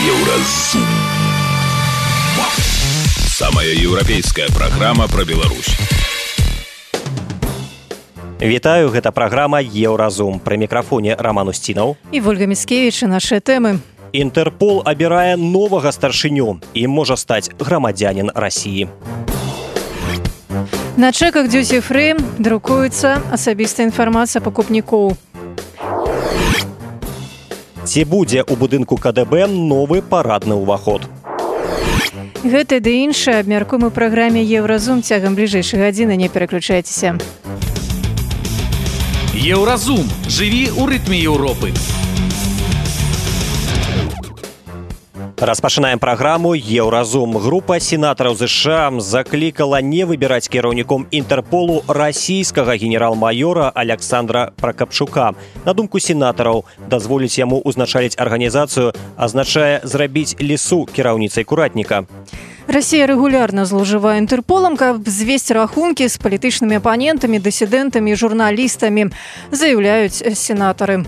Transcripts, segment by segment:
Еўразум. Самая еўрапейская праграма пра Беларусь. Вітаю, гэта праграма «Еўразум». Пры мікрафоне Роман Устінаў і Вольга Міцкевіч. І нашыя тэмы. Інтэрпол абірае новага старшыню. Ім можа стаць грамадзянін Расіі. На чэках дьюти-фрі друкуецца асабістая інфармацыя пакупнікоў. Ці будзе ў будынку КДБ новы парадны ўваход? Гэта ды іншае абмяркуем у праграме «Еўразум» цягам бліжэйшай гадзіны. Не пераключайцеся. Еўразум. Жыві ў рытме Еўропы. Распачынаем праграму «Еўразум». Група сенатараў США заклікала не выбіраць кіраўніком Інтэрполу расійскага генерал-майора Александра Пракапчука. На думку сенатараў, дазволіць яму ўзначаліць арганізацыю азначае зрабіць лісу кіраўніцай куратніка. Расія рэгулярна злоўжывае Інтэрполам, каб звесці рахункі з палітычнымі апанентамі, дысідэнтамі і журналістамі, заяўляюць сенатары.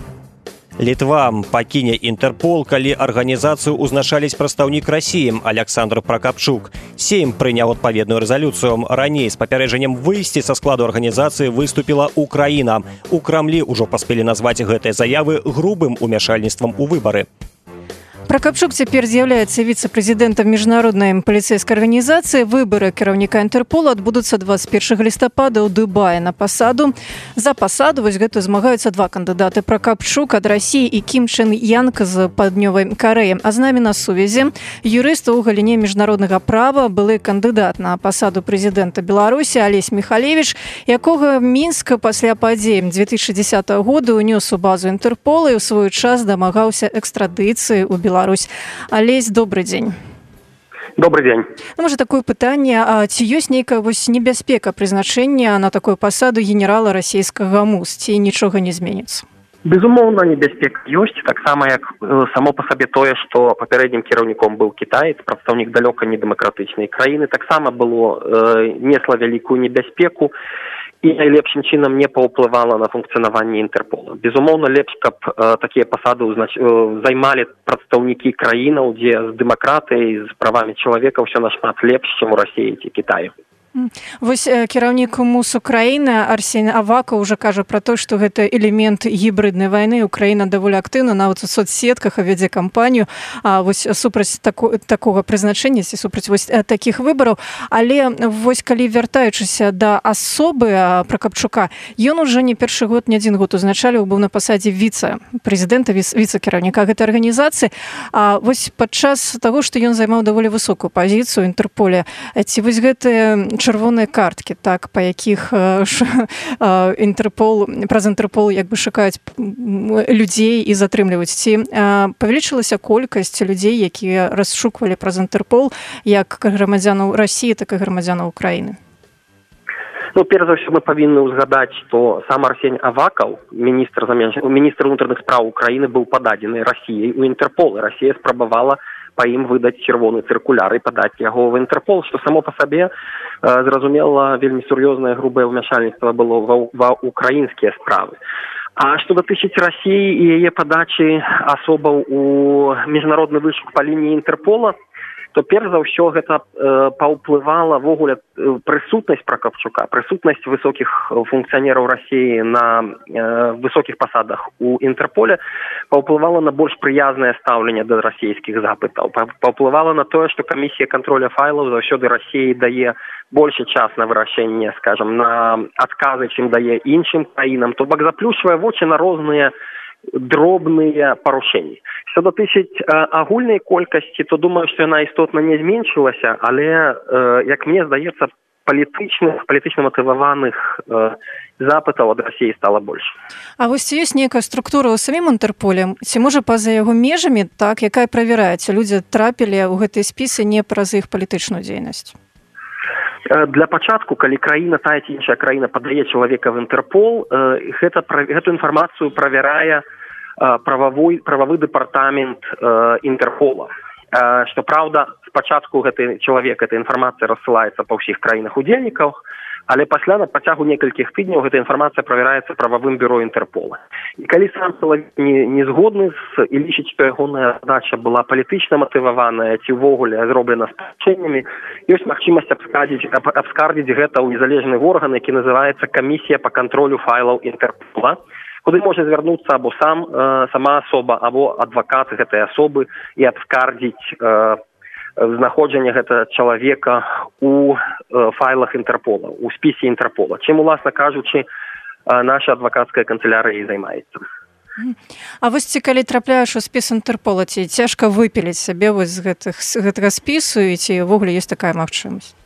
Літва пакіне Інтэрпол, калі арганізацыю ўзначаліць прадстаўнік Расіі Александр Пракапчук. Сейм прыняў адпаведную рэзалюцыю. Раней з папярэджаннем выйсці са складу арганізацыі выступіла Украіна. У Крамлі ўжо паспелі назваць гэтыя заявы грубым умяшальніцтвам у выбары. Пракапчук цяпер з'яўляецца віцэ-прэзідэнтам міжнароднай паліцэйскай арганізацыі. Выбары кіраўніка Інтэрпола адбудуцца 21 лістапада ў Дубаі на пасаду. За пасаду гэту змагаюцца два кандыдаты: Пракапчук ад Расіі і Кім Чен Янг з Паўднёвай Карэі. А з намі на сувязі юрыст у галіне міжнароднага права, былы кандыдат на пасаду прэзідэнта Беларусі Алесь Міхалевіч, якога Мінск пасля падзей 2010 года ўнёс у базу Інтэрпола і ў свой час дамагаўся экстрадыцыі ў Беларусь. Алесь, добрый дзень. Добрый дзень. Можа, такое пытанне, ці ёсць нейкая небяспека прызначэння на такую пасаду генерала расійскага МУС, ці нічога не зменіцца? Безумоўна, небяспека ёсць, таксама як само па сабе тое, што папярэднім кіраўніком быў кітаец, прадстаўнік далёка не дэмакратычнай краіны, таксама было несла вялікую небяспеку і найлепшым чынам не паўплывала на функцыянаванне Інтэрпола. Безумоўна, лепш, каб такія пасады займалі прадстаўнікі краінаў, дзе з дэмакратыяй, з правамі чалавека ўсё нашмат лепш, чым у Расіі ці Кітаі. Вось кіраўнік МУС Украіны Арсень Аваков уже кажа пра то, што гэта элемент гібриднай вайны. Украіна даволі актыўна нават у соцсетках вядзе кампанію супраць такога прызначэння, супраць такіх выбараў. Але калі вяртаючыся да асобы Пракапчука, ён ужо не першы год, не адзін год узначаліў, быў на пасадзе віцэ-прэзідэнта, віцэ-кіраўніка гэтай арганізацыі. Падчас таго, што ён займаў даволі высокую пазіцыю ў Інтэрполе, ці гэтыя чырвоныя карткі, так, па якіх праз Інтэрпол шукаюць людзей і затрымліваюць. Ці павялічылася колькасць людзей, якія расшуквалі праз Інтэрпол як грамадзянаў Расіі, так і грамадзянаў Украіны? Перш за ўсё мы павінны ўзгадаць, што сам Арсень Аваков, міністр унутраных спраў Украіны, быў пададзены Расіяй у Інтэрпол. Расія спрабавала па ім выдаць чырвоны цыркуляр і падаць яго ў Інтэрпол, што само па сабе, зразумела, вельмі сур'ёзнае грубае ўмяшальніцтва было ва ўкраінскія справы. А што датычыць Расіі і яе падачы асобаў у міжнародны вышук па лініі Інтэрпола, то перш за ўсё гэта паўплывала ввогуле прысутнасць Пракапчука, прысутнасць высокіх функцыянераў Расіі на высокіх пасадах у Інтэрполе паўплывала на больш прыязнае стаўленне да расійскіх запытаў. Паўплывала на тое, што камісія кантроля файлаў заўсёды Расіі дае большы час на вырашэнне, скажам, на адказы, чым дае іншым краінам, то бок заплюшвае вочы на розныя дробныя парушэнні. Што датычыць агульнай колькасці, то думаю, што яна істотна не зменшылася, але, як мне здаецца, палітычна матываваных запытаў ад Расіі стала больш. А ці ёсць нейкая структура ў самім Інтэрполе, ці можа па-за яго межамі, так, якая правяраецца, людзі трапілі ў гэтыя спісы не праз іх палітычную дзейнасць? Для пачатку, калі краіна, тая ці іншая краіна падае чалавека в Інтэрпол, гэту інфармацыю правярае прававы дэпартамент Інтэрпола. Што праўда, спачатку гэты чалавек, эта інфармацыя рассылаецца па ўсіх краінах удзельнікаў, Але пасля на працягу некалькіх тыдняў гэта інфармацыя правяраецца прававым бюро Інтэрпола. І калі сам чалавек не згодны і лічыць, што ягоная задача была палітычна матываваная ці ўвогуле зроблена спрачэннямі, ёсць магчымасць абскардзіць гэта ў незалежны орган, які называецца камісія па кантролю файлаў Інтэрпола, куды можа звярнуцца або сама асоба, або адвакат гэтай асобы і абскардзіць знаходжанне гэтага чалавека у файлах Інтэрпола, у спісе Інтэрпола. Чым, уласна кажучы, наша адвакацкая канцелярыя і займаецца. А вось ці калі трапляеш у спіс Інтэрпола, ці цяжка выпіліць сабе вось з гэтага спісу, і ці ўвогуле ёсць такая магчымасць?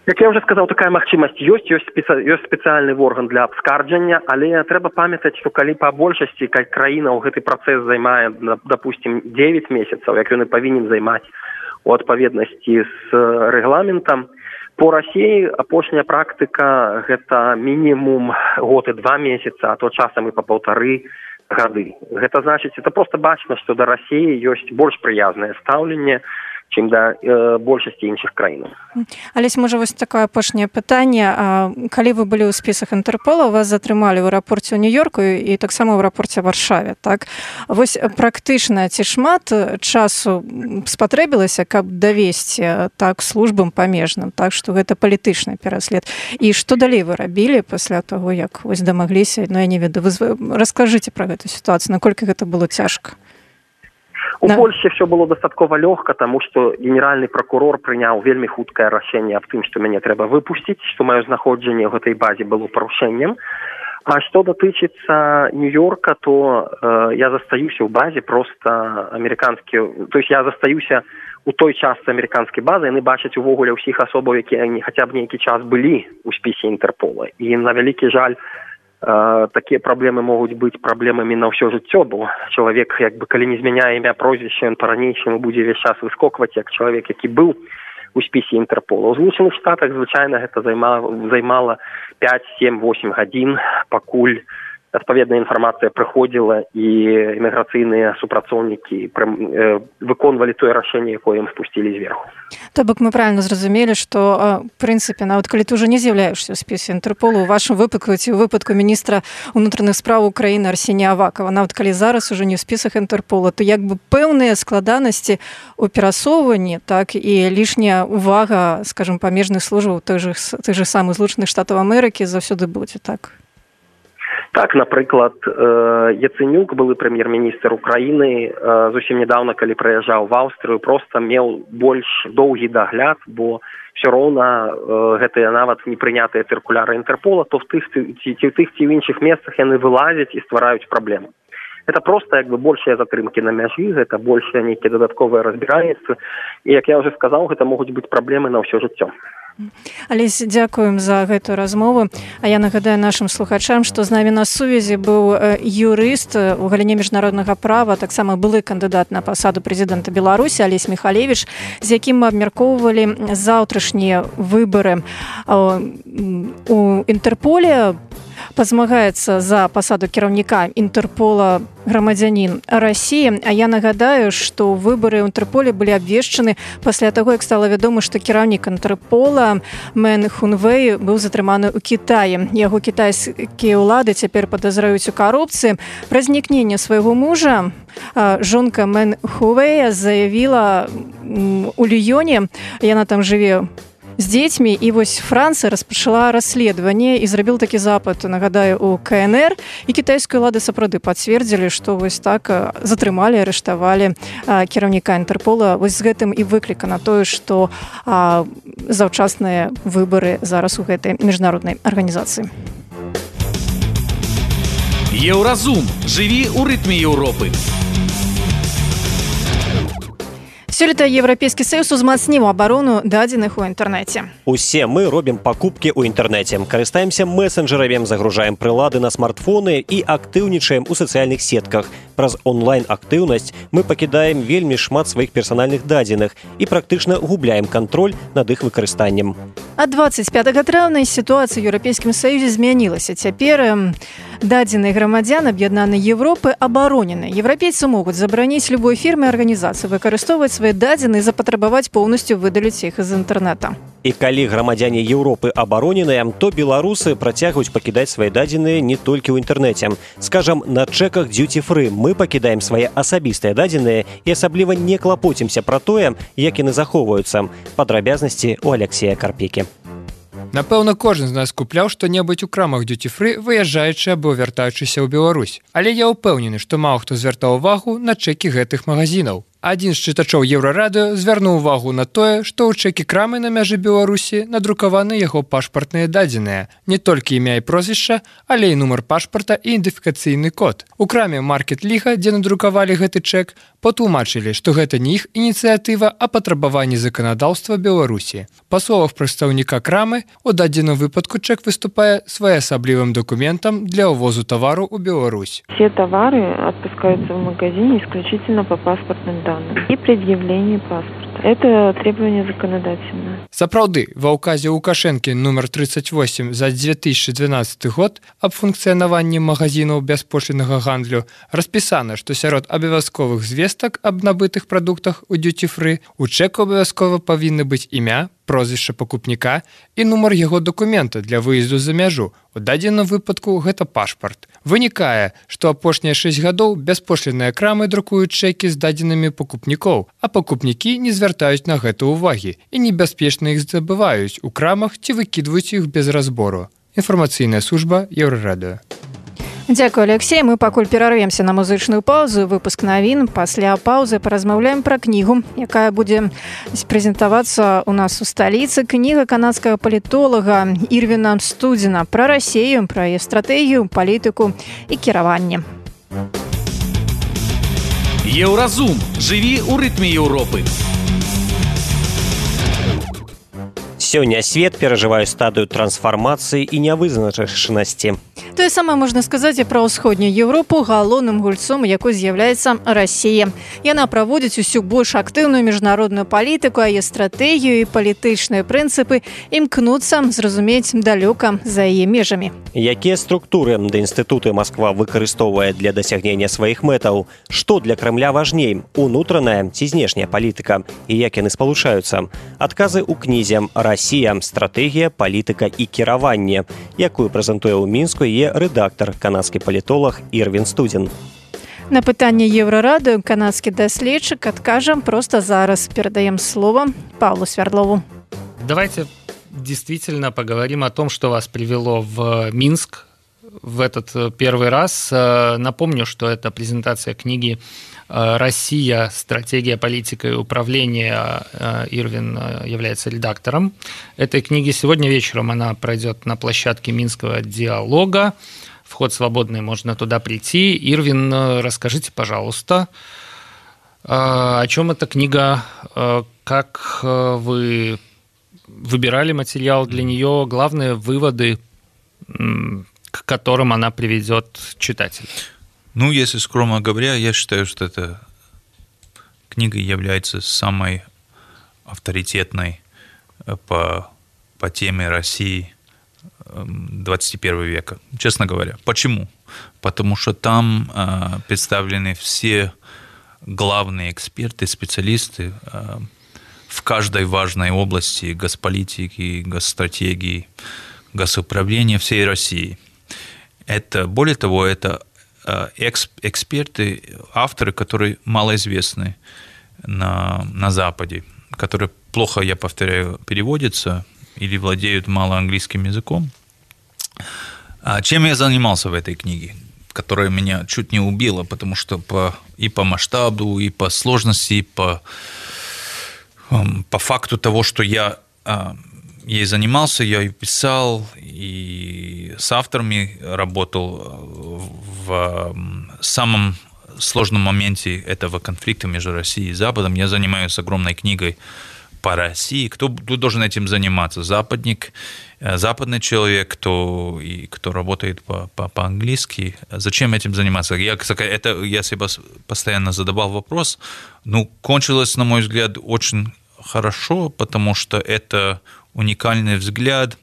Як я ўжо сказаў, такая магчымасць ёсць спецыяльны орган для абскарджання, але трэба памятаць, што калі па большасці краіна ў гэты працэс займае, допустим, 9 месяцаў, як ён і павінен займаць у адпаведнасці з рэгламентам, по Расіі апошняя практыка гэта мінімум год і 2 месяца, а то часам і па 1,5 гады. Гэта значыць, это проста бачна, што да Расіі ёсць больш прыязнае стаўленне, чым да большасці іншых краінаў. Алесь, можа, вось такое апошняе пытанне. Калі вы былі ў спісах Інтэрпола, вас затрымалі ў аэрапорце ў Нью-Йорку і таксама ў аэрапорце Варшаве, так? Вось практычна ці шмат часу спатрэбілася, каб давесці так службам памежным, так, што гэта палітычны пераслед. І што далей вы рабілі пасля таго, як вось дамагліся? Ну, я не ведаю, раскажыце пра гэту сітуацыю, наколькі гэта было цяжка? У Польшчы все было дастаткова лёгка, таму што генеральны пракурор прыняў вельмі хуткае рашэнне аб тым, што мяне трэба выпусціць, што маё знаходжанне ў гэтай базе было парушэннем. А што датычыцца Нью-Йорка, то я застаюся ў базе проста амерыканскі, то есть я застаюся у той частцы амерыканскай базы, яны бачаць увогуле ўсіх асобаў, якія хаця б нейкі час былі ў спісе Інтэрпола. І на вялікі жаль, такія праблемы могуць быць праблемамі на ўсё жыццё, бо чалавек, як бы, калі не змяняе імя, прозвішча, ён па-ранейшаму будзе ўвесь час выскокваць, як чалавек, які быў у спісе Інтэрпола. У Злучаных Штатах звычайна гэта займала 5, 7, 8 гадзін, пакуль адпаведная інфармацыя прыходзіла і іміграцыйныя супрацоўнікі выконвалі тое рашэнне, якое ім спусцілі зверху. То бок мы правильно зразумелі, што, в прынцыпе, нават калі ты ўжо не з'яўляешся ў спісе Інтэрпола, у вашым выпадку ці ў выпадку міністра ўнутраных спраў Украіны Арсенія Авакова, нават калі зараз ужо не ў спісах Інтэрпола, то як бы пэўныя складанасці ў перасоўванні, так, і лішняя увага, скажем, памежных службаў тых же самых Злучаных Штатаў Амерыкі заўсёды будзе, так? Так, напрыклад, Яценюк, былы прэм'ер-міністр Украіны, зусім нядаўна, калі прыязджаў в Аўстрыю, проста меў больш доўгі дагляд, бо все роўна гэтыя нават непрынятыя цыркуляры Інтэрпола, то в тых ці ў іншых месцах яны вылазяць і ствараюць праблемы. Гэта проста, як бы, большыя затрымкі на мяжы, гэта большыя нейкія дадатковыя разбіральніцтвы, і, як я ўжо сказаў, гэта могуць быць праблемы на ўсё жыццё. Алесь, дзякуем за гэтую размову. А я нагадаю нашым слухачам, што з намі на сувязі быў юрыст у галіне міжнароднага права, таксама былы кандыдат на пасаду прэзідэнта Беларусі Алесь Михалевич, з якім мы абмяркоўвалі заўтрашнія выбары у Інтэрполе. Пазмагаецца за пасаду кіраўніка Інтэрпола грамадзянін Расіі. А я нагадаю, што выбары ў Інтэрполе былі абвешчаны пасля таго, як стала вядома, што кіраўнік Інтэрпола Мэн Хунвэй быў затрыманы ў Кітаі. Яго кітайскія ўлады цяпер падазраюць у карупцыі. Пра знікненне свайго мужа жонка Мэн Хунвэя заявіла у Ліёне, яна там жыве з дзецьмі, і вось Францыя распачала расследаванне і зрабіла такі запыт, нагадаю, у КНР, і кітайскія ўлады сапраўды пацвердзілі, што вось так затрымалі, арыштавалі кіраўніка Інтэрпола. Вось з гэтым і выклікана тое, што заўчасныя выбары зараз у гэтай міжнароднай арганізацыі. Еўразум. Жыві ў рытме Еўропы. Сёлета Еўрапейскі Саюз узмацніў абарону дадзеных у інтэрнэце. Усе мы робім пакупкі ў інтэрнэце, карыстаемся месенджерамі, загружаем прылады на смартфоны і актыўнічаем у сацыяльных сетках. Праз онлайн-актыўнасць мы пакідаем вельмі шмат сваіх персанальных дадзеных і практычна губляем кантроль над іх выкарыстаннем. А 25 траўня сітуацыя ў Еўрапейскім Саюзе змянілася. Цяпер дадзеныя грамадзян аб'яднанай Еўропы абаронены. Еўрапейцы могуць забараніць любой фірме і арганізацыі выкарыстоўваць свае дадзеныя і запатрабаваць поўнасцю выдаліць іх з інтэрнэта. І калі грамадзяне Еўропы абароненыя, то беларусы працягваюць пакідаць свае дадзеныя не толькі ў інтэрнэце. Скажам, на чэках duty-free мы пакідаем свае асабістыя дадзеныя і асабліва не клапоцімся пра тое, як яны захоўваюцца. Падрабязнасці у Алексея Карпекі. Напэўна, кожны з нас купляў што-небудзь у крамах duty-free, выязджаючы або вяртаючыся ў Беларусь. Але я ўпэўнены, што мала хто звяртаў увагу на чэкі гэтых магазінаў. Адзін з чытачоў Еўрарадыё звярнуў увагу на тое, што ў чэкі крамы на мяжы Беларусі надрукаваны яго пашпартныя дадзеныя. Не толькі імя і прозвішча, але і нумар пашпарта і ідэнтыфікацыйны код. У краме Маркет Ліга, дзе надрукавалі гэты чэк, патлумачылі, што гэта не іх ініцыятыва, а патрабаванне заканадаўства Беларусі. Па словах прадстаўніка крамы, у дадзеным выпадку чэк выступае своеасаблівым документам для ўвозу тавару ў Беларусь. Все товары отпускаются в магазине исключительно по паспортным данным и предъявлению паспорта. Это требование законодательное. Сапраўды, ва ўказе Лукашэнкі нумар 38 за 2012 год аб функцыянаванні магазінаў бяспошліннага гандлю распісана, што сярод абавязковых звестак аб набытых прадуктах у duty-free у чэку абавязкова павінны быць імя, прозвішча пакупніка і нумар яго дакумента для выезду за мяжу. У дадзеным выпадку гэта пашпарт. Вынікае, што апошнія 6 гадоў бяспошлінныя крамы друкуюць чэкі з дадзенымі пакупнікоў, а пакупнікі не звяртаюць на гэта ўвагі і небяспечна іх забываюць у крамах ці выкідваюць іх без разбору. Інфармацыйная служба Еўрарадыё. Дзякуй, Алексей. Мы пакуль перарвемся на музычную паузу. Выпуск навін. Пасля паўзы паразмаўляем пра кнігу, якая будзе прэзентавацца у нас у сталіцы. Кніга канадскага палітолага Ірвіна Студзена пра Расію, пра яе стратэгію, палітыку і кіраванне. Еўразум. Жыві ў рытме Еўропы. Сёння свет перажывае стадыю трансфармацыі і нявызначанасці. Тое самае можна сказаць і пра ўсходнюю Еўропу, галоўным гульцом якой з'яўляецца Расія. Яна праводзіць усю больш актыўную міжнародную палітыку, а яе стратэгію і палітычныя прынцыпы імкнуцца зразумець далёка за яе межамі. Якія структуры да інстытуты Масква выкарыстоўвае для дасягнення сваіх мэтаў? Што для Крамля важней? Унутраная ці знешняя палітыка? І як яны спалучаюцца? Адказы ў кнізе «Расія. Стратэгія, палітыка і кіраванне», якую прэзентуе ў Мінску яе рэдактар, канадскі палітолог Ірвін Студзен. На пытанне Еўрарадыё канадскі даследчык адкажа проста зараз. Перадаем слово Павлу Свердлову. Давайте действительно поговорим о том, что вас привело в Минск в этот первый раз. Напомню, что это презентация книги «Россия. Стратегия, политика и управление». Ирвин является редактором этой книги. Сегодня вечером она пройдет на площадке Минского диалога. Вход свободный, можно туда прийти. Ирвин, расскажите, пожалуйста, о чем эта книга, как вы выбирали материал для нее, главные выводы, к которым она приведет читателя. Ну, если скромно говоря, я считаю, что эта книга является самой авторитетной по теме России 21 века, честно говоря. Почему? Потому что там представлены все главные эксперты, специалисты в каждой важной области госполитики, госстратегии, госуправления всей России. Это, более того, это эксперты, авторы, которые малоизвестны на Западе, которые плохо, я повторяю, переводятся или владеют мало английским языком. Чем я занимался в этой книге, которая меня чуть не убила, потому что и по масштабу, и по сложности, и по факту того, что я ей занимался, я ее писал, и с авторами работал в самом сложном моменте этого конфликта между Россией и Западом. Я занимаюсь огромной книгой по России. Кто должен этим заниматься? Западник, западный человек, кто работает по-английски. Зачем этим заниматься? Я себе постоянно задавал вопрос. Кончилось, на мой взгляд, очень хорошо, потому что это уникальный взгляд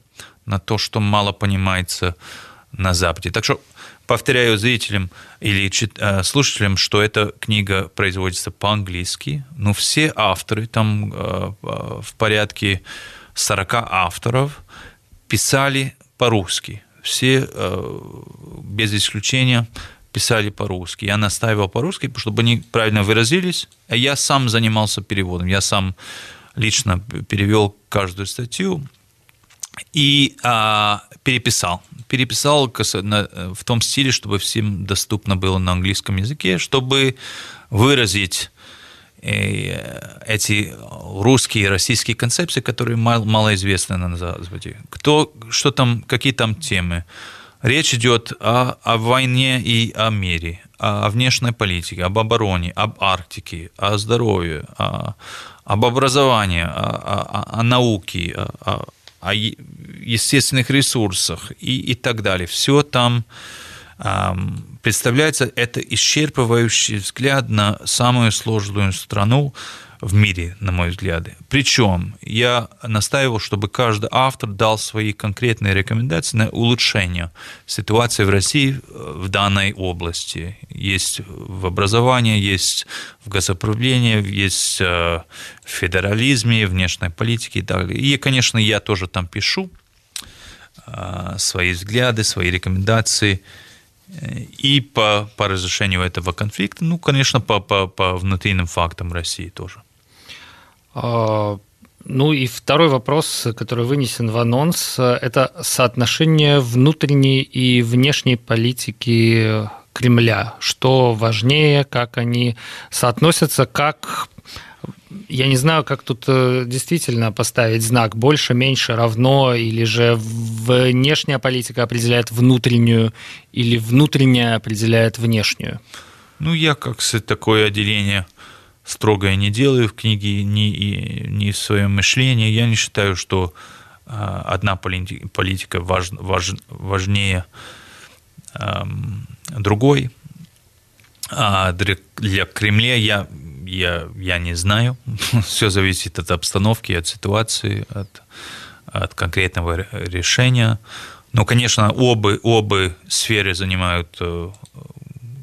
на то, что мало понимается на Западе. Так что повторяю зрителям или слушателям, что эта книга производится по-английски, но все авторы там в порядке 40 авторов писали по-русски. Все, без исключения, писали по-русски. Я настаивал по-русски, чтобы они правильно выразились. А я сам занимался переводом. Я сам лично перевел каждую статью и переписал. Переписал в том стиле, чтобы всем доступно было на английском языке, чтобы выразить эти русские и российские концепции, которые малоизвестны на Западе. Что там, какие там темы? Речь идет о войне и о мире, о внешней политике, об обороне, об Арктике, о здоровье, об образовании, о науке, о естественных ресурсах и так далее. Все там представляется, это исчерпывающий взгляд на самую сложную страну в мире, на мой взгляд. Причем я настаивал, чтобы каждый автор дал свои конкретные рекомендации на улучшение ситуации в России в данной области. Есть в образовании, есть в газоуправлении, есть в федерализме, внешней политике и так далее. И, конечно, я тоже там пишу свои взгляды, свои рекомендации и по разрешению этого конфликта, ну, конечно, по внутренним фактам России тоже. Ну и второй вопрос, который вынесен в анонс, это соотношение внутренней и внешней политики Кремля. Что важнее, как они соотносятся, как... Я не знаю, как тут действительно поставить знак больше, меньше, равно, или же внешняя политика определяет внутреннюю, или внутренняя определяет внешнюю. Ну, я как такое отделение строгое не делаю в книге, ни в своем мышлении. Я не считаю, что одна политика важнее другой. А для Кремля я не знаю. Все зависит от обстановки, от ситуации, от конкретного решения. Но, конечно, обе сферы занимают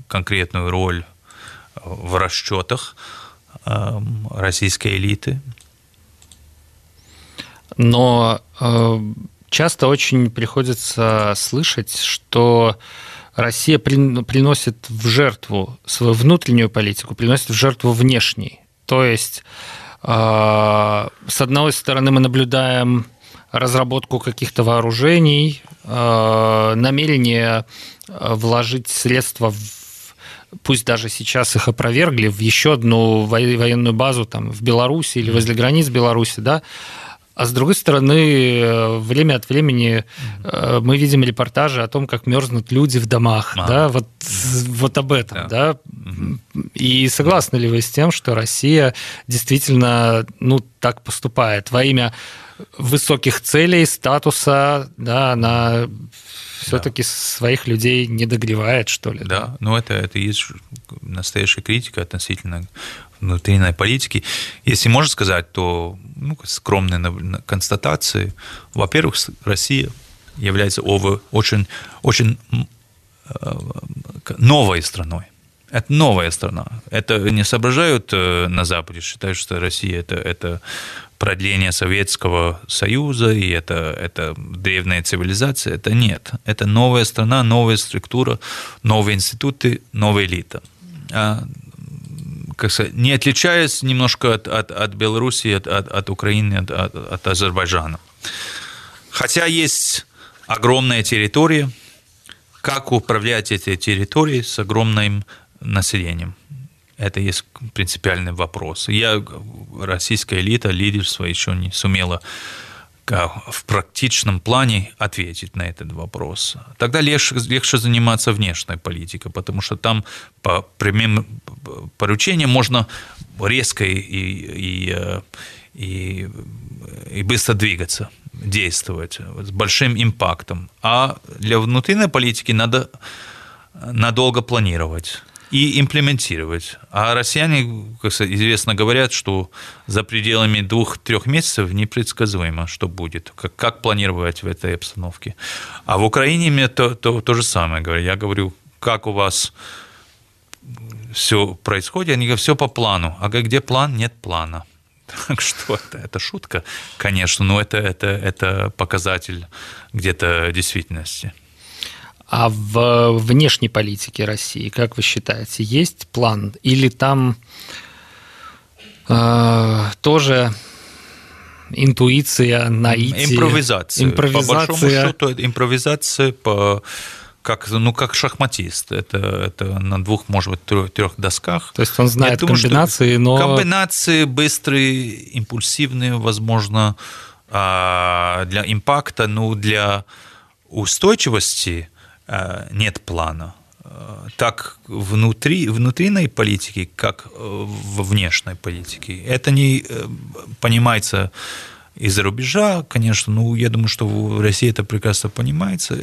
конкретную роль в расчетах российской элиты. Но часто очень приходится слышать, что Россия приносит в жертву свою внутреннюю политику, приносит в жертву внешней. То есть, с одной стороны, мы наблюдаем разработку каких-то вооружений, намерение вложить средства пусть даже сейчас их опровергли, в еще одну военную базу там, в Беларуси или возле границ Беларуси, да. А с другой стороны, время от времени мы видим репортажи о том, как мерзнут люди в домах, да, вот об этом, да. И согласны ли вы с тем, что Россия действительно, ну, так поступает во имя высоких целей, статуса, да, она все-таки своих людей не догревает, что ли? Да, ну это и есть настоящая критика относительно внутренней политики. Если можно сказать, то скромные констатации. Во-первых, Россия является очень, очень новой страной. Это новая страна. Это не соображают на Западе, считают, что Россия это продление Советского Союза, и это древняя цивилизация. Это нет. Это новая страна, новая структура, новые институты, новая элита. Как сказать, не отличаясь немножко от Беларуси, от Украины, от Азербайджана. Хотя есть огромная территория, как управлять этой территорией с огромным населением? Это есть принципиальный вопрос. Российская элита, лидерство еще не сумела в практичном плане ответить на этот вопрос. Тогда легче заниматься внешней политикой, потому что там по прямым поручениям можно резко и быстро двигаться, действовать с большим импактом. А для внутренней политики надо надолго планировать и имплементировать. А россияне, как известно, говорят, что за пределами 2-3 месяцев непредсказуемо, что будет, как планировать в этой обстановке. А в Украине мне то же самое говорят. Я говорю, как у вас все происходит, они говорят, все по плану. А где план? Нет плана. Так что это шутка, конечно, но это показатель где-то действительности. А в внешней политике России, как вы считаете, есть план? Или там тоже интуиция, наитие? Импровизация. По большому счету, импровизация как шахматист. Это на 2, может быть, 3 досках. То есть он знает комбинации, но... Комбинации быстрые, импульсивные, возможно, для импакта, но для устойчивости нет плана. Так внутренней политики, как во внешней политике. Это не понимается из-за рубежа, конечно, я думаю, что в России это прекрасно понимается.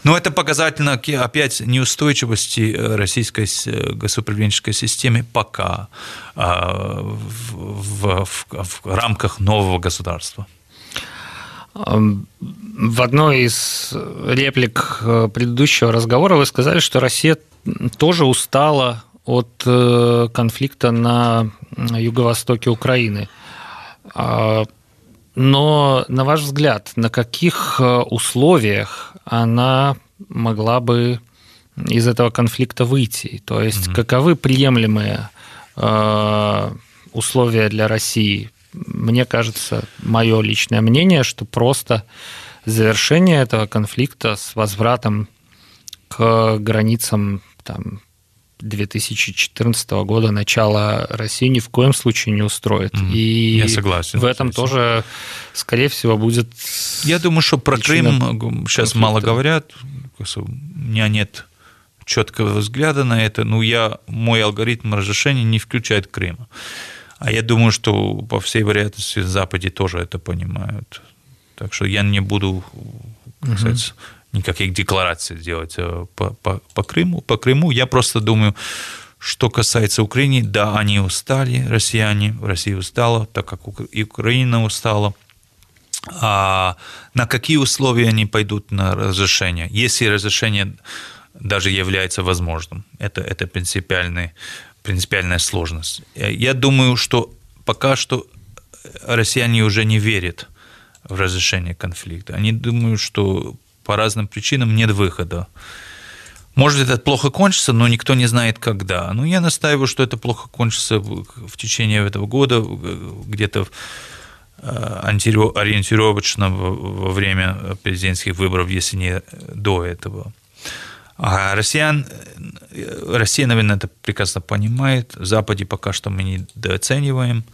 Но это показательно, опять, неустойчивости российской государственной системы пока в рамках нового государства. В одной из реплик предыдущего разговора вы сказали, что Россия тоже устала от конфликта на юго-востоке Украины. Но, на ваш взгляд, на каких условиях она могла бы из этого конфликта выйти? То есть, каковы приемлемые условия для России? Мне кажется, мое личное мнение, что просто завершение этого конфликта с возвратом к границам 2014 года, начала России ни в коем случае не устроит. И я согласен. В этом тоже, скорее всего, будет... Я думаю, что про Крым сейчас мало говорят. У меня нет четкого взгляда на это. Мой алгоритм разрешения не включает Крым. А я думаю, что по всей вероятности в Западе тоже это понимают. Так что я не буду, кстати, никаких деклараций делать по Крыму. По Крыму я просто думаю, что касается Украины, да, они устали, россияне, Россия устала, так как и Украина устала. А на какие условия они пойдут на разрешение? Если разрешение даже является возможным, это принципиальная сложность. Я думаю, что пока что россияне уже не верят в разрешение конфликта. Они думают, что по разным причинам нет выхода. Может, это плохо кончится, но никто не знает, когда. Я настаиваю, что это плохо кончится в течение этого года, где-то ориентировочно во время президентских выборов, если не до этого. А Россия, наверное, это прекрасно понимает. В Западе пока что мы недооцениваем.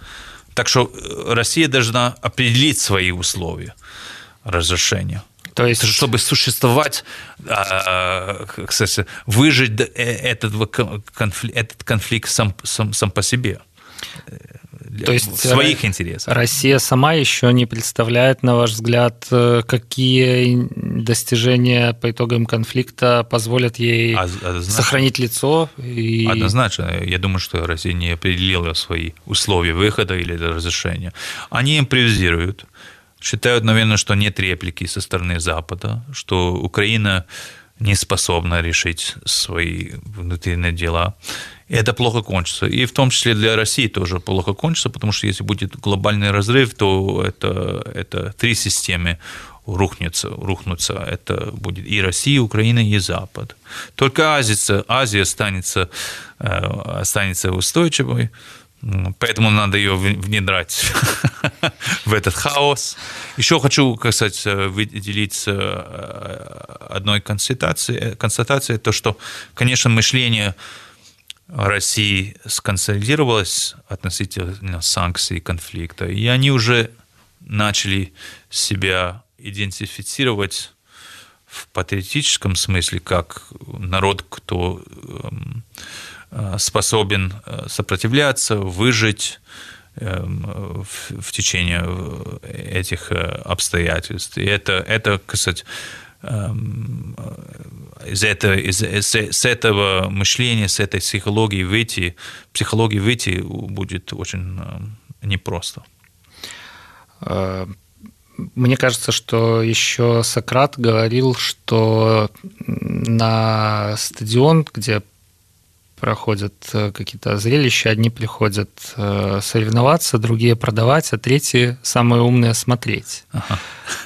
Так что Россия должна определить свои условия разрешения. То есть, чтобы существовать, кстати, выжить этот конфликт сам по себе. То есть своих интересов. Россия сама еще не представляет, на ваш взгляд, какие достижения по итогам конфликта позволят ей сохранить лицо? Однозначно. Я думаю, что Россия не определила свои условия выхода или разрешения. Они импровизируют. Считают, наверное, что нет реплики со стороны Запада, что Украина не способна решить свои внутренние дела. И это плохо кончится. И в том числе для России тоже плохо кончится, потому что если будет глобальный разрыв, то это 3 системы рухнутся. Это будет и Россия, и Украина, и Запад. Только Азия останется устойчивой. Поэтому надо ее внедрять в этот хаос. Еще хочу, кстати, выделить одной констатацией, то, что, конечно, мышление России сконсолидировалось относительно санкций и конфликта, и они уже начали себя идентифицировать в патриотическом смысле как народ, кто способен сопротивляться, выжить в течение этих обстоятельств. И это, кстати, с этого мышления, с этой психологии выйти будет очень непросто. Мне кажется, что еще Сократ говорил, что на стадион, где проходят какие-то зрелища, одни приходят соревноваться, другие продавать, а третьи, самые умные, смотреть. Ага.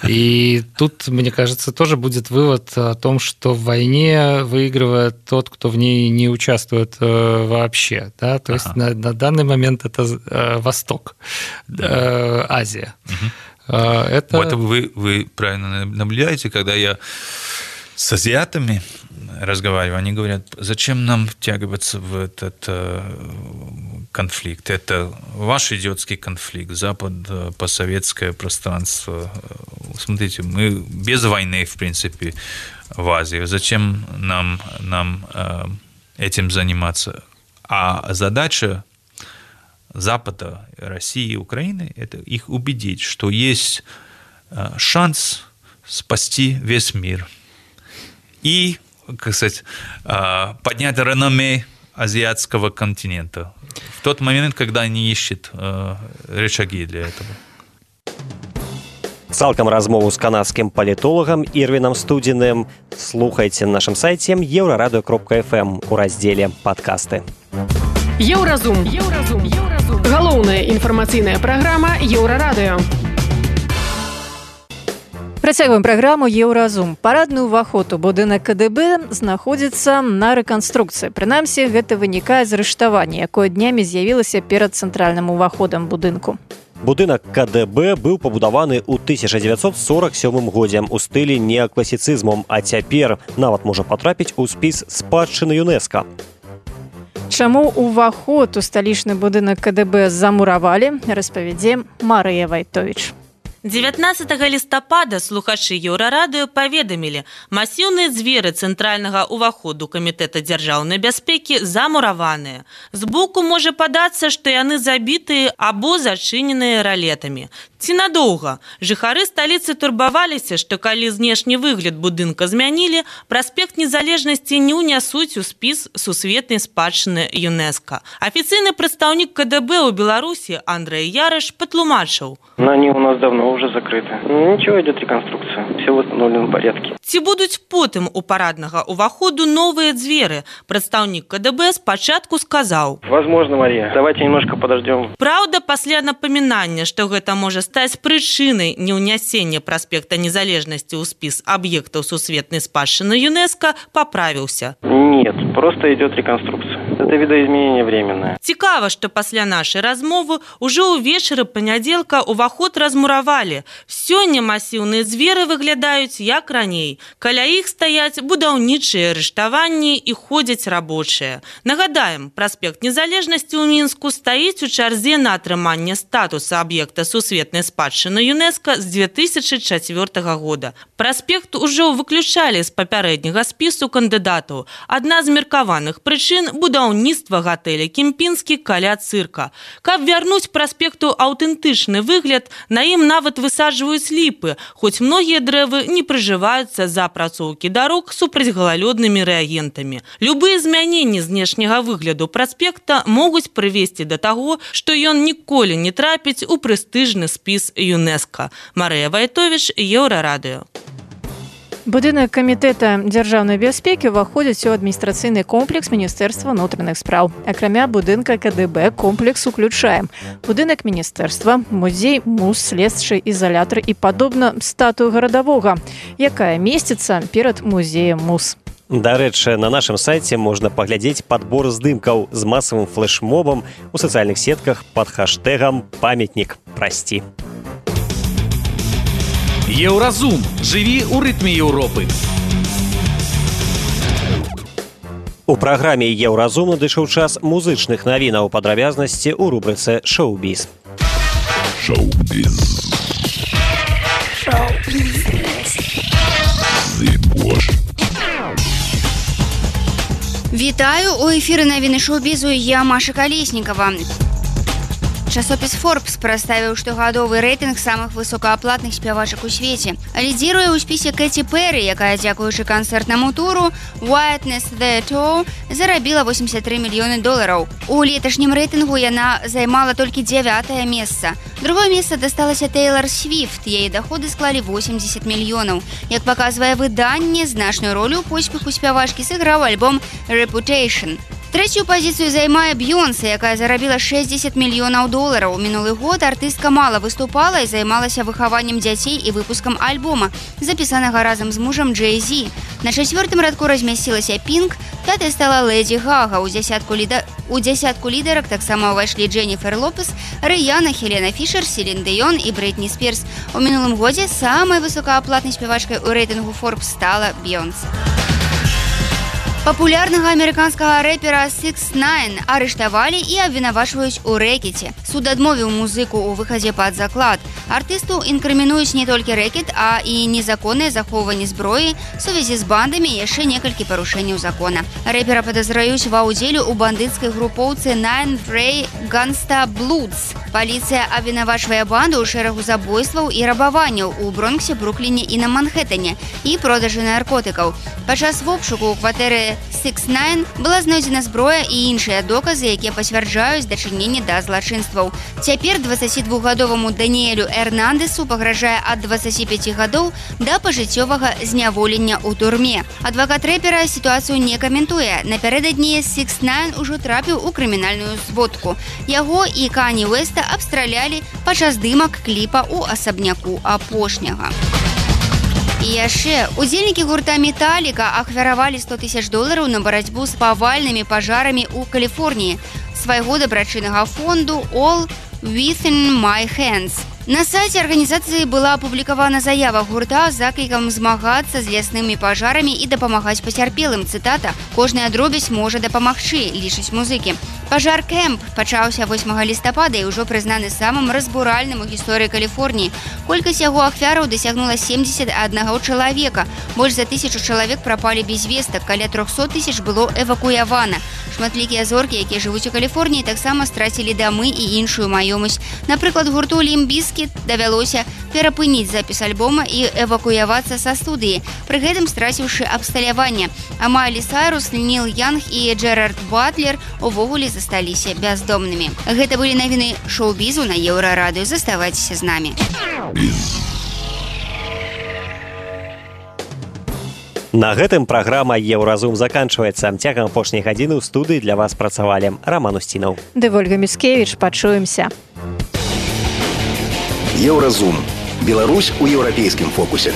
И тут, мне кажется, тоже будет вывод о том, что в войне выигрывает тот, кто в ней не участвует вообще. Да? То есть на данный момент это Восток, Азия. Это... Вот вы правильно наблюдаете, когда я с азиатами разговариваю, они говорят, зачем нам втягиваться в этот конфликт? Это ваш идиотский конфликт, Запад, постсоветское пространство. Смотрите, мы без войны, в принципе, в Азии. Зачем нам этим заниматься? А задача Запада, России, Украины – это их убедить, что есть шанс спасти весь мир. И, как сказать, поднять реноме азиатского континента в тот момент, когда они ищут рычаги для этого. Цалкам размову з канадскім палітолагам Ірвінам Студзіным слухайце на нашым сайце еўрарадыё.фм у раздзеле «Падкасты». Еўразум. Галоўная інфармацыйная праграма Еўрарадыё. Працягваем праграму «Еўразум». Парадны ўваход у будынак КДБ знаходзіцца на рэканструкцыі. Прынамсі, гэта вынікае з арыштавання, якое днямі з'явілася перад цэнтральным уваходам будынку. Будынак КДБ быў пабудаваны ў 1947 годзе у стылі неакласіцызму, а цяпер нават можа патрапіць у спіс спадчыны ЮНЕСКО. Чаму ўваход у сталічны будынак КДБ замуравалі, распавядзе Марыя Вайтовіч. 19 лістапада слухачы Еўрарадыё паведамілі, масіўныя дзверы цэнтральнага ўваходу Камітэта дзяржаўнай бяспекі замураваныя. Збоку можа падацца, што яны забітыя або зачыненыя ралетамі. Ці надоўга? Жыхары сталіцы турбаваліся, што калі знешні выгляд будынка змянілі, праспект Незалежнасці не ўнясуць у спіс сусветнай спадчыны ЮНЕСКО. Афіцыйны прадстаўнік КДБ ў Беларусі Андрей Ярыш патлумачыў. Они у нас давно уже закрыты. Ничего, идет реконструкция. Все в установленном порядке. Ці будуць потым у параднага ўваходу новыя дзверы? Прадстаўнік КДБ спачатку сказаў. Возможно, Мария. Давайте немножко подождем. Праўда, пасля напамінання, што гэта можа стаць прычынай неўнясення праспекта Незалежнасці ў спіс аб'ектаў сусветнай спадчыны ЮНЕСКО, паправіўся. Нет, просто идет реконструкция. Это видоизменение временное. Цікава, што пасля нашай размовы ўжо ўвечары панядзелка ўваход размуравалі. Сёння масіўныя дзверы выглядаюць як раней. Каля іх стаяць будаўнічыя арыштаванні і ходзяць рабочыя. Нагадаем, праспект Незалежнасці ў Мінску стаіць у чарзе на атрыманне статуса аб'екта сусветнай спадчыны ЮНЕСКО з 2004 года. Праспект ужо выключалі з папярэдняга спісу кандыдатаў. Адна з меркаваных прычын – будаўніцтва гатэля «Кемпінскі» каля цырка. Каб вярнуць праспекту аўтэнтычны выгляд, на ім нават высаджваюць ліпы, хоць многія дрэвы не прыжываюцца за апрацоўкі дарог супрацьгалалёднымі рэагентамі. Любыя змяненні знешняга выгляду праспекта могуць прывесці да таго, што ён ніколі не трапіць у прэстыжны спіс ЮНЕСКО. Марыя Вайтовіч, Еўрарадыё. Будынак Камітэта дзяржаўнай бяспекі ўваходзіць у адміністрацыйны комплекс Міністэрства ўнутраных спраў. Акрамя будынка КДБ комплекс уключае будынак міністэрства, музей, муз, следчы ізалятар і падобна статую гарадавога, якая месціцца перад музеем муз. Дарэчы, на нашым сайце можна паглядзець падбор здымкаў з масавым флэшмобам у сацыяльных сетках пад хаштэгам «Памятнік прасці». Еўразум. Жыві ў рытме Еўропы. У праграме «Еўразум» надышоў час музычных навінаў, падрабязнасці ў рубрыцы «Шоу-біз». Шоу-біз. Вітаю, у эфіры навіны шоу-бізу, я Маша Калеснікава. Часопіс Forbes прадставіў штогадовы рэйтынг самых высокааплатных спявачак у свеце. Лідзіруе ў спісе Кэці Перрі, якая, дзякуючы канцэртнаму туру «Witness the Tour», зарабіла $83 мільёны. У леташнім рэйтынгу яна займала толькі 9-е месца. Другое месца дасталася Тэйлар Свіфт, яе даходы склалі 80 мільёнаў. Як паказвае выданне, значную ролю ў поспеху спявачкі сыграў альбом «Reputation». Третью позицию займае Бьонсе, якая зарабіла $60 мільёнаў. Мінулы год артыстка мала выступала і займалася выхаваннем дзяцей і выпускам альбома, запісанага разам з мужам Джей-Зі. На 4-м радку размясцілася Пінк, 5-й стала Лэдзі Гага. У дзясятку лідарак таксама ўвайшлі Дженніфер Лопес, Рыяна, Хелена Фішер, Селін Дыён і Брытні Спірс. У мінулым годзе самай высокааплатнай спявачкай у рэйтынгу Forbes стала Бьонсе. Папулярнага амерыканскага рэпера 6ix9ine арыштавалі і абвінавачваюць у рэкеце. Суд адмовіў музыку ў выхадзе пад заклад. Артысту інкрымінуюць не толькі рэкет, а і незаконнае захоўванне зброі, сувязі з бандамі і яшчэ некалькі парушэнняў закона. Рэпера падазраюць ва ўдзеле ў бандыцкай групоўцы Nine Frey Gangsta Bloods. Паліцыя абвінавачвае банду ў шэрагу забойстваў і рабаванняў у Бронксе, Брукліне і на Манхэттане і продажы наркотыкаў. Падчас вобшуку ў кватэры 6ix9ine была знойдзена зброя і іншыя доказы, якія пацвярджаюць дачыненне да злачынстваў. Цяпер 22-гадоваму Даніэлю Эрнандесу пагражае ад 25 гадоў да пажыццёвага зняволення ў турме. Адвакат рэпера сітуацыю не каментуе. Напярэдадні 6ix9ine ужо трапіў у крымінальную зводку. Яго і Кані Уэста абстралялі падчас здымак кліпа ў асабняку апошняга. І яшчэ удзельнікі гурта «Металліка» ахвяравалі $100 000 на барацьбу з павальнымі пажарамі ў Каліфорніі свайго дабрачыннага фонду «All Within My Hands». На сайце арганізацыі была апублікавана заява гурта з заклікам змагацца з ляснымі пажарамі і дапамагаць пацярпелым. Цытата: «Кожная дробязь можа дапамагчы», лічаць музыкі. Пажар Кэмп пачаўся 8 лістапада і ўжо прызнаны самым разбуральным у гісторыі Каліфорніі. Колькасць яго ахвяраў дасягнула 71 чалавека. Больш за 1000 чалавек прапалі без вестак, каля 300 000 было эвакуявана. Шматлікія зоркі, якія жывуць у Каліфорніі, таксама страцілі дамы і іншую маёмасць. Напрыклад, гурту Limp Bizkit давялося перапыніць запіс альбома і эвакуявацца са студыі, пры гэтым страціўшы абсталяванне. А Майлі Сайрус, Ніл Янг і Джерард Батлер увогуле засталіся бяздомнымі. Гэта былі навіны шоу-бізу на Еўрарадыё. Заставайцеся з намі. На гэтым праграма «Еўразум» заканчваецца. Цягам апошняй гадзіны ў студыі для вас працавалі Роман Устінаў ды Вольга Міскевіч. Пачуемся. Еўразум. Беларусь у еўрапейскім фокусе.